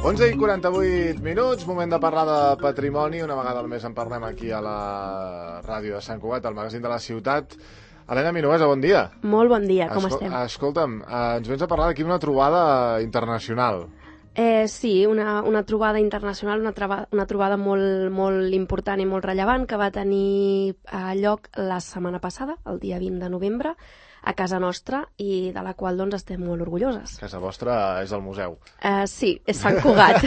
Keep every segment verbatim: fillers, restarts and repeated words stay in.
onze i quaranta-vuit minuts, moment de parlar de patrimoni. Una vegada al mes en parlem aquí a la ràdio de Sant Cugat, al magazín de la ciutat. Helena Minuesa, bon dia. Molt bon dia, com Escol estem? Escolta'm, eh, ens vens a parlar d'aquí d'una trobada internacional. Eh, sí, una, una trobada internacional, una, traba, una trobada molt, molt important i molt rellevant que va tenir eh, lloc la setmana passada, el dia vint de novembre, a casa nostra, i de la qual doncs estem molt orgulloses. Casa vostra és el museu. Eh, sí, és Sant Cugat.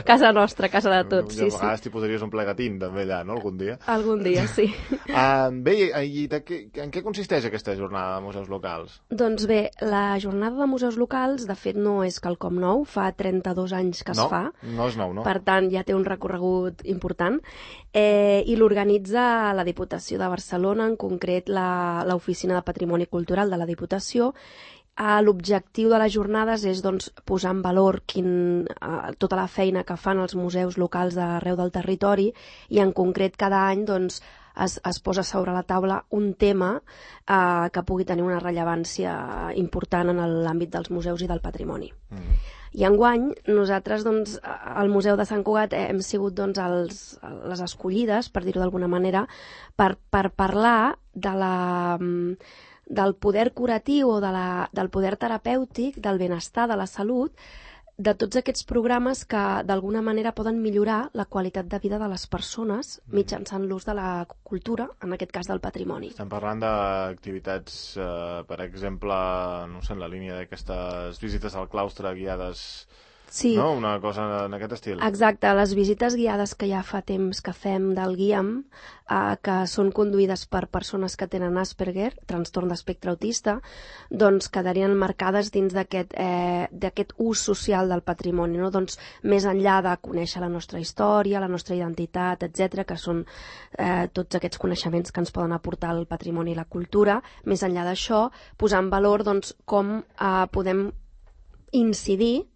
Casa nostra, casa de tots. I a sí, vegades sí. t'hi posaries un plegatín també allà, no?, algun dia. Algun dia, sí. Uh, bé, i de què, en què consisteix aquesta jornada de museus locals? Doncs bé, la jornada de museus locals, de fet, no és quelcom nou, fa trenta-dos anys que es no, fa. No és nou, no? Per tant, ja té un recorregut important. Eh, I l'organitza la Diputació de Barcelona, en concret l'Oficina de Patrimoni Cultural de la Diputació. Eh, L'objectiu de les jornades és doncs, posar en valor quin, eh, tota la feina que fan els museus locals d'arreu del territori, i en concret cada any doncs, es, es posa sobre la taula un tema eh, que pugui tenir una rellevància important en l'àmbit dels museus i del patrimoni. Mm. I enguany, nosaltres, doncs, al Museu de Sant Cugat hem sigut doncs, els, les escollides, per dir-ho d'alguna manera, per, per parlar de la, del poder curatiu o de la, del poder terapèutic, del benestar, de la salut, de tots aquests programes que d'alguna manera poden millorar la qualitat de vida de les persones mitjançant l'ús de la cultura, en aquest cas del patrimoni. Estem parlant d'activitats, eh, per exemple, no sé, en la línia d'aquestes visites al claustre guiades, sí. No? Una cosa en aquest estil. Exacte, les visites guiades que ja fa temps que fem del Guiam, eh, que són conduïdes per persones que tenen Asperger, trastorn d'espectre autista, doncs quedarien marcades dins d'aquest eh, d'aquest ús social del patrimoni, no? Doncs més enllà de conèixer la nostra història, la nostra identitat, etcètera, que són eh, tots aquests coneixements que ens poden aportar el patrimoni i la cultura, més enllà d'això, posar en valor doncs, com eh, podem incidir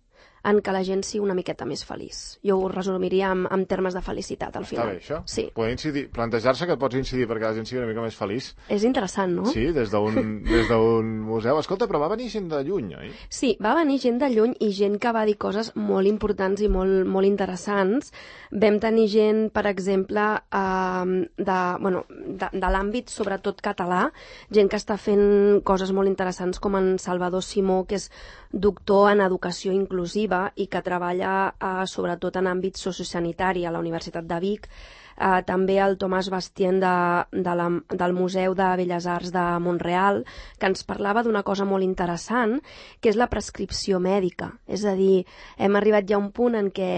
en que la gent sigui una miqueta més feliç. Jo ho resumiria en, en termes de felicitat, al final. Està bé, això? Sí. Poder incidir, plantejar-se que pots incidir perquè la gent sigui una mica més feliç. És interessant, no? Sí, des d'un des d'un museu. Escolta, però va venir gent de lluny, oi? Sí, va venir gent de lluny i gent que va dir coses molt importants i molt, molt interessants. Vam tenir gent, per exemple, eh, de, bueno, de, de l'àmbit sobretot català, gent que està fent coses molt interessants, com en Salvador Simó, que és doctor en educació inclusiva i que treballa eh, sobretot en àmbit sociosanitari a la Universitat de Vic. Eh, també el Tomàs Bastien de, de la, del Museu de Belles Arts de Montreal, que ens parlava d'una cosa molt interessant, que és la prescripció mèdica. És a dir, hem arribat ja a un punt en què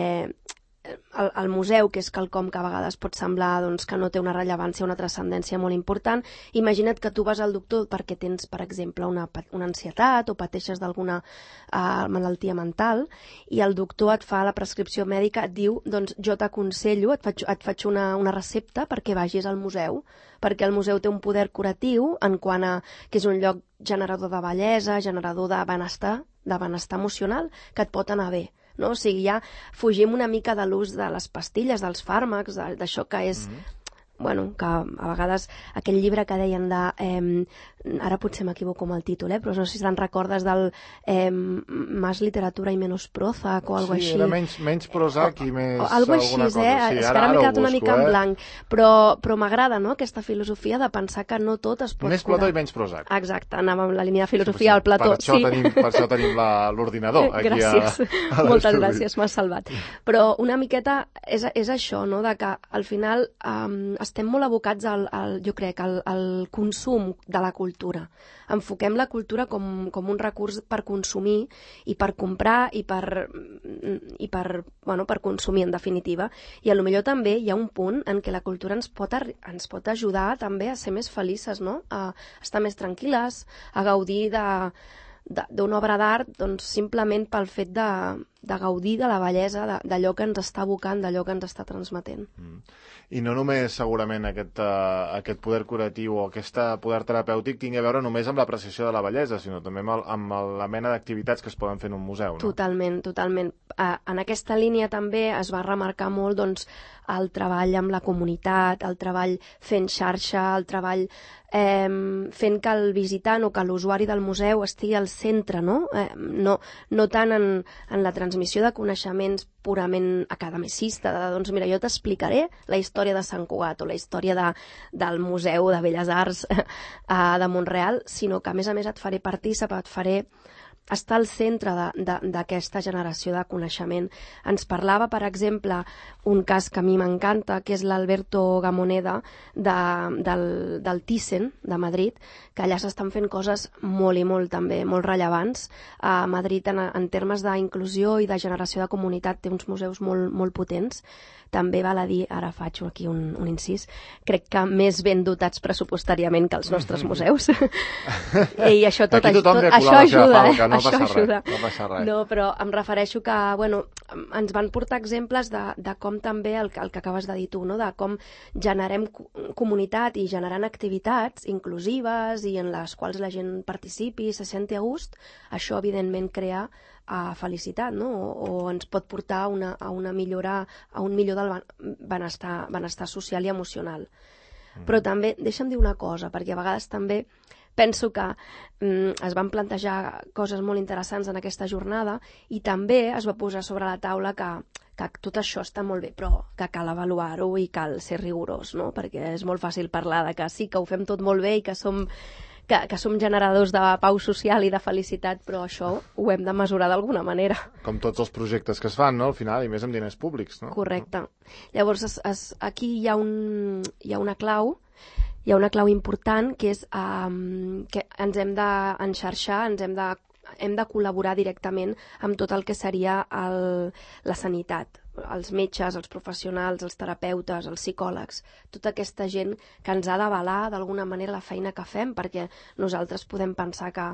el, el museu, que és quelcom que a vegades pot semblar doncs, que no té una rellevància, una transcendència molt important, imagina't que tu vas al doctor perquè tens, per exemple, una, una ansietat o pateixes d'alguna uh, malaltia mental, i el doctor et fa la prescripció mèdica, et diu, doncs jo t'aconsello, et faig, et faig una, una recepta perquè vagis al museu, perquè el museu té un poder curatiu en quant a que és un lloc generador de bellesa, generador de benestar, de benestar emocional, que et pot anar bé. No? O sigui, ja fugim una mica de l'ús de les pastilles, dels fàrmacs, d'això que és... Mm-hmm. Bueno, que a vegades aquell llibre que deien de... Eh, ara potser m'equivoco amb el títol, eh, però no sé si te'n recordes del eh, Más literatura i menos Prozac o alguna sí, així. Sí, era menys, menys Prozac i més o, alguna alguna així, cosa. Eh? Sí, és ara, que ara m'he quedat una busco, mica eh? en blanc. Però, però m'agrada, no?, aquesta filosofia de pensar que no tot es pot més curar. Plató i menys Prozac. Exacte, anàvem amb la línia de filosofia sí, al Plató. Per això sí. tenim, per això tenim l'ordinador aquí gràcies. a, a Moltes gràcies, m'has salvat. Però una miqueta és, és això, no?, de que al final um, estem molt abocats al, al jo crec, al, al consum de la cultura. Enfoquem la cultura com, com un recurs per consumir i per comprar i per, i per, bueno, per consumir, en definitiva. I a lo millor també hi ha un punt en què la cultura ens pot, ens pot ajudar també a ser més felices, no?, a estar més tranquil·les, a gaudir de d'una obra d'art doncs, simplement pel fet de, de gaudir de la bellesa, d'allò que ens està evocant, d'allò que ens està transmetent. Mm. I no només segurament aquest, uh, aquest poder curatiu o aquest poder terapèutic tingui a veure només amb l'apreciació de la bellesa, sinó també amb, el, amb la mena d'activitats que es poden fer en un museu, no? Totalment, totalment. Uh, en aquesta línia també es va remarcar molt doncs, el treball amb la comunitat, el treball fent xarxa, el treball eh, fent que el visitant o que l'usuari del museu estigui al centre, no? Eh, no, no tant en, en la transmissió transmissió de coneixements purament academicista, de, doncs mira, jo t'explicaré la història de Sant Cugat o la història de, del Museu de Belles Arts de Mont-real, sinó que a més a més et faré partícip, et faré estar al centre d'aquesta generació de coneixement. Ens parlava, per exemple, un cas que a mi m'encanta, que és l'Alberto Gamoneda de, del, del Thyssen, de Madrid, que allà s'estan fent coses molt i molt també, molt rellevants. A Madrid, en, en termes d'inclusió i de generació de comunitat, té uns museus molt, molt potents. També val a dir, ara faig aquí un, un incís, crec que més ben dotats pressupostàriament que els nostres museus. I això tot, aquí tothom tot, ve a colar la seva falca, no això passa ajuda. res. No passa res. No, però em refereixo que, bueno, ens van portar exemples de, de com també, el, el que acabes de dir tu, no? De com generem comunitat i generant activitats inclusives i en les quals la gent participi i se senti a gust. Això, evidentment, crea a felicitat, no? O, o ens pot portar a una, a una millora, a un millor del benestar, benestar social i emocional. Mm. Però també, deixa'm dir una cosa, perquè a vegades també penso que mm, es van plantejar coses molt interessants en aquesta jornada i també es va posar sobre la taula que, que tot això està molt bé, però que cal avaluar-ho i cal ser rigorós, no? Perquè és molt fàcil parlar de que sí, que ho fem tot molt bé i que som Que, que som generadors de pau social i de felicitat, però això ho hem de mesurar d'alguna manera. Com tots els projectes que es fan, no?, al final, i més amb diners públics, no? Correcte. Llavors, es, es, aquí hi ha, un, hi ha una clau, hi ha una clau important, que és um, que ens hem d'enxarxar, ens hem de, hem de col·laborar directament amb tot el que seria el, la sanitat, els metges, els professionals, els terapeutes, els psicòlegs, tota aquesta gent que ens ha d'avalar d'alguna manera la feina que fem, perquè nosaltres podem pensar que,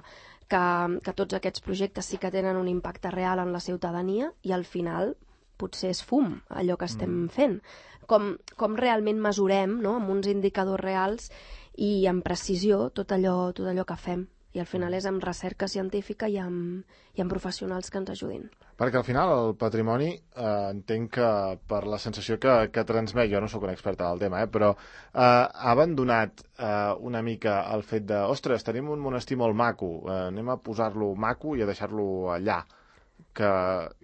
que, que tots aquests projectes sí que tenen un impacte real en la ciutadania i al final potser és fum allò que estem mm. fent. Com, com realment mesurem, no?, amb uns indicadors reals i amb precisió tot allò, tot allò que fem. I al final és amb recerca científica i amb, i amb professionals que ens ajudin. Perquè al final el patrimoni, eh, entenc que per la sensació que, que transmet, jo no sóc una experta del tema, eh, però eh, ha abandonat eh, una mica el fet de, ostres, tenim un monestir molt maco, eh, anem a posar-lo maco i a deixar-lo allà, que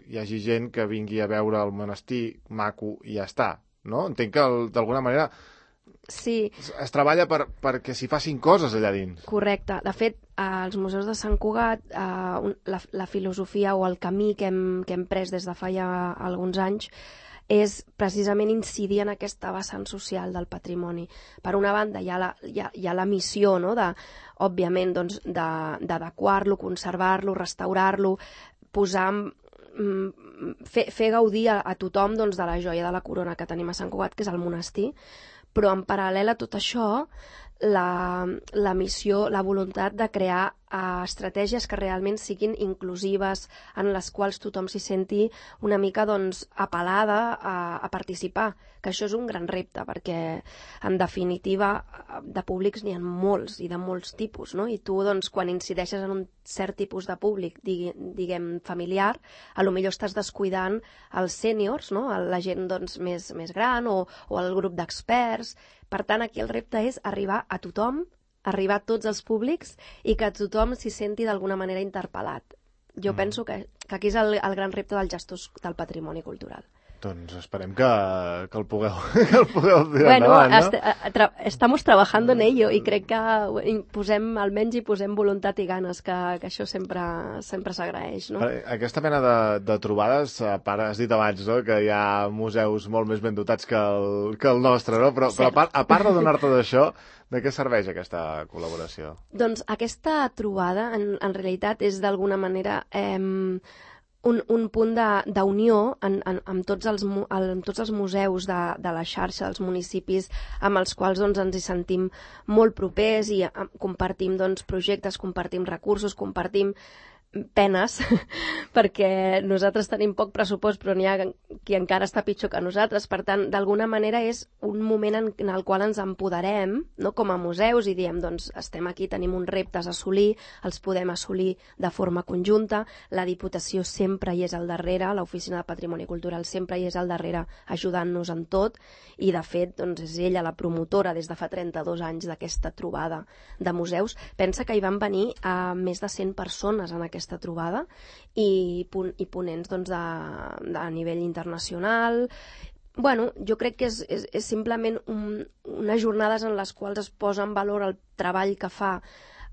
hi hagi gent que vingui a veure el monestir maco i ja està, no? Entenc que d'alguna manera sí. es, es treballa per, perquè s'hi facin coses allà dins. Correcte. De fet, als museus de Sant Cugat, eh, la, la filosofia o el camí que hem, que hem pres des de fa ja alguns anys és precisament incidir en aquesta vessant social del patrimoni. Per una banda, hi ha la, hi ha, hi ha la missió, no?, de, òbviament, doncs, d'adequar-lo, conservar-lo, restaurar-lo, posar fer, fer gaudir a, a tothom, doncs, de la joia de la corona que tenim a Sant Cugat, que és el monestir, però en paral·lel a tot això, la, la missió, la voluntat de crear uh, estratègies que realment siguin inclusives, en les quals tothom s'hi senti una mica, doncs, apel·lada a, a participar, que això és un gran repte, perquè en definitiva de públics n'hi ha molts i de molts tipus, no? I tu, doncs, quan incideixes en un cert tipus de públic, digui, diguem, familiar, a lo millor estàs descuidant els sèniors, no?, la gent, doncs, més, més gran o, o el grup d'experts. Per tant, aquí el repte és arribar a tothom, arribar a tots els públics i que tothom s'hi senti d'alguna manera interpel·lat. Jo mm. penso que, que aquí és el, el gran repte dels gestors del patrimoni cultural. Doncs esperem que, que el pugueu, que el pugueu tirar bueno, endavant, no? Este, tra estamos trabajando en ello i crec que posem, almenys hi posem voluntat i ganes, que, que això sempre sempre s'agraeix, no? Aquesta mena de, de trobades, a part, has dit abans, no?, que hi ha museus molt més ben dotats que el, que el nostre, no? Però, però a part, a part de donar-te d'això, de què serveix aquesta col·laboració? Doncs aquesta trobada, en, en realitat, és d'alguna manera Eh, Un, un punt d'unió amb tots els, amb tots els museus de, de la xarxa, dels municipis amb els quals, doncs, ens hi sentim molt propers i compartim, doncs, projectes, compartim recursos, compartim penes, perquè nosaltres tenim poc pressupost, però n'hi ha qui encara està pitjor que nosaltres. Per tant, d'alguna manera és un moment en, en el qual ens empoderem, no?, com a museus, i diem, doncs, estem aquí, tenim uns reptes a assolir, els podem assolir de forma conjunta, la Diputació sempre hi és al darrere, l'Oficina de Patrimoni Cultural sempre hi és al darrere ajudant-nos en tot, i de fet, doncs, és ella la promotora des de fa trenta-dos anys d'aquesta trobada de museus. Pensa que hi van venir a més de cent persones en aquest aquesta trobada, i, i ponents doncs, de, de nivell internacional. Bueno, jo crec que és, és, és simplement un, unes jornades en les quals es posa en valor el treball que fa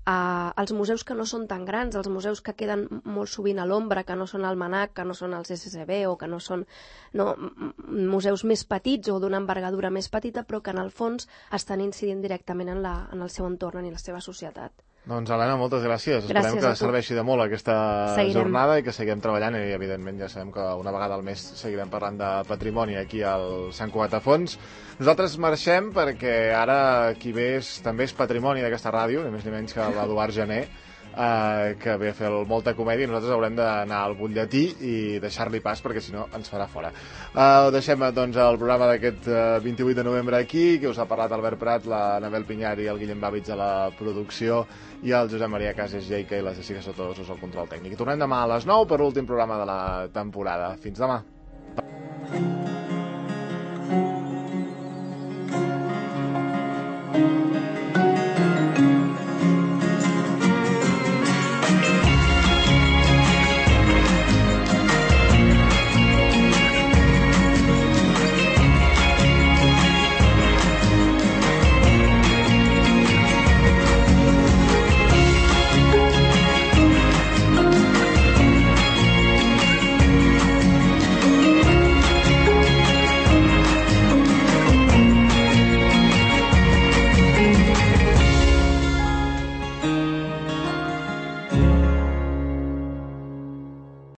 Uh, els museus que no són tan grans, els museus que queden molt sovint a l'ombra, que no són el MANAC, que no són els S S B o que no són no, museus més petits o d'una envergadura més petita, però que en el fons estan incidint directament en, la, en el seu entorn, en la seva societat. Doncs, Helena, moltes gràcies. Gràcies Esperem que serveixi de molt aquesta seguirem. jornada i que seguim treballant, i evidentment ja sabem que una vegada al mes seguirem parlant de patrimoni aquí al Sant Cugat a Fons. Nosaltres marxem perquè ara qui ve és, també és patrimoni d'aquesta ràdio, ni més ni menys que l'Eduard Gené, eh, que ve a fer molta comèdia, i nosaltres haurem d'anar al butlletí i deixar-li pas perquè si no ens farà fora. Eh, deixem doncs el programa d'aquest eh, vint-i-vuit de novembre aquí, que us ha parlat Albert Prat, la Anabel Pinyar i el Guillem Bàvits a la producció, i el Josep Maria Cases Jeica i la Jessica Sotosos al control tècnic. I tornem demà a les nou per l'últim programa de la temporada. Fins demà.